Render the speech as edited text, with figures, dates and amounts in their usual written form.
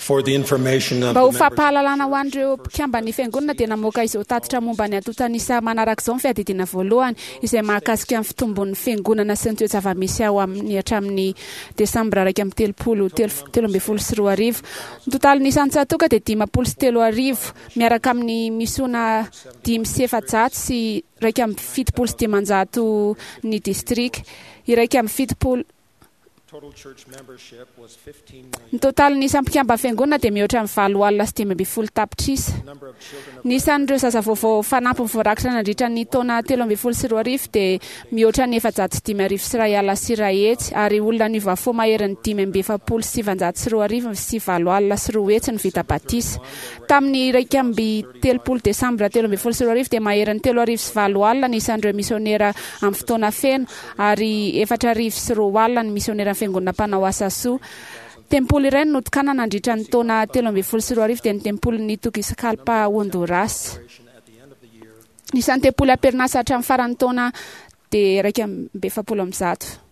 For the information of Mba ho the members. fampahalalana ho an'ireo mpikamban'ny fiangonana dia namoaka izao tatitra momba ny antontan'isa manaraka izao ny fiadidiana voalohany izay mahakasika ny fitombon'ny fiangonana sy ny toe-java-misy ao amin'ny hatramin'ny desambra 31 2013. Ny totalin'ny isan'ny tsatoka dia 30 miaraka amin'ny misona 574 571 ny distrika 71. Total church membership was 15 Ny million. totalin'ny isan'ny mpikamba fiangonana dia mihoatra ny 815 tapitrisa. The number of children of Ny isan'ireo zaza vaovao fanampiny voarakitra nandritra ny taona 2013 dia mihoatra ny 405 100 ary olona niova fo maherin'ny 245 245 ny vita batisa. Tamin'ny 31 desambra 2013 dia maherin'ny 830 ny isan'ireo misionera amin'ny fotoana feno ary 240 ny misionera amin'ny fiangonana mpanao asa soa. Tempoly iray no notokanana nandritra ny taona 2013 dia ny tempolin'ny Tegucigalpa Honduras. generation at the end of the year Ny isan'ny tempoly am-perinasa hatramin'ny faran'ny taona dia 341.